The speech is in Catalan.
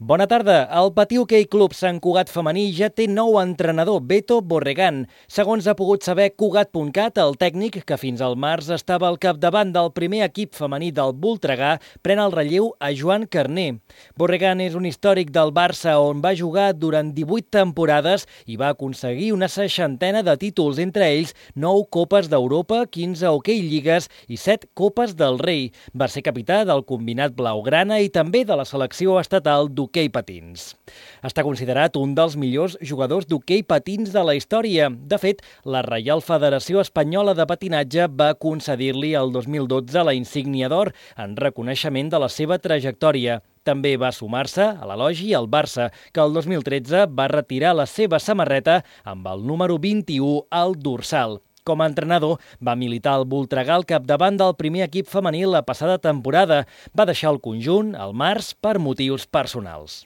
Bona tarda. El Patí Hoquei Club Sant Cugat femení ja té nou entrenador, Beto Borregán. Segons ha pogut saber Cugat.cat, el tècnic, que fins al març estava al capdavant del primer equip femení del Voltregà, pren el relleu a Joan Carner. Borregán és un històric del Barça on va jugar durant 18 temporades i va aconseguir una 60ena de títols, entre ells 9 Copes d'Europa, 15 Hoquei Lligues i 7 Copes del Rei. Va ser capità del combinat blaugrana i també de la selecció estatal d'hoquei patins. Està considerat un dels millors jugadors d'hoquei patins de la història. De fet, la Reial Federació Espanyola de Patinatge va concedir-li el 2012 la insígnia d'or en reconeixement de la seva trajectòria. També va sumar-se a l'elogi al Barça, que el 2013 va retirar la seva samarreta amb el número 21 al dorsal. Com a entrenador, va militar al Voltregà al capdavant del primer equip femení la passada temporada. Va deixar el conjunt al març per motius personals.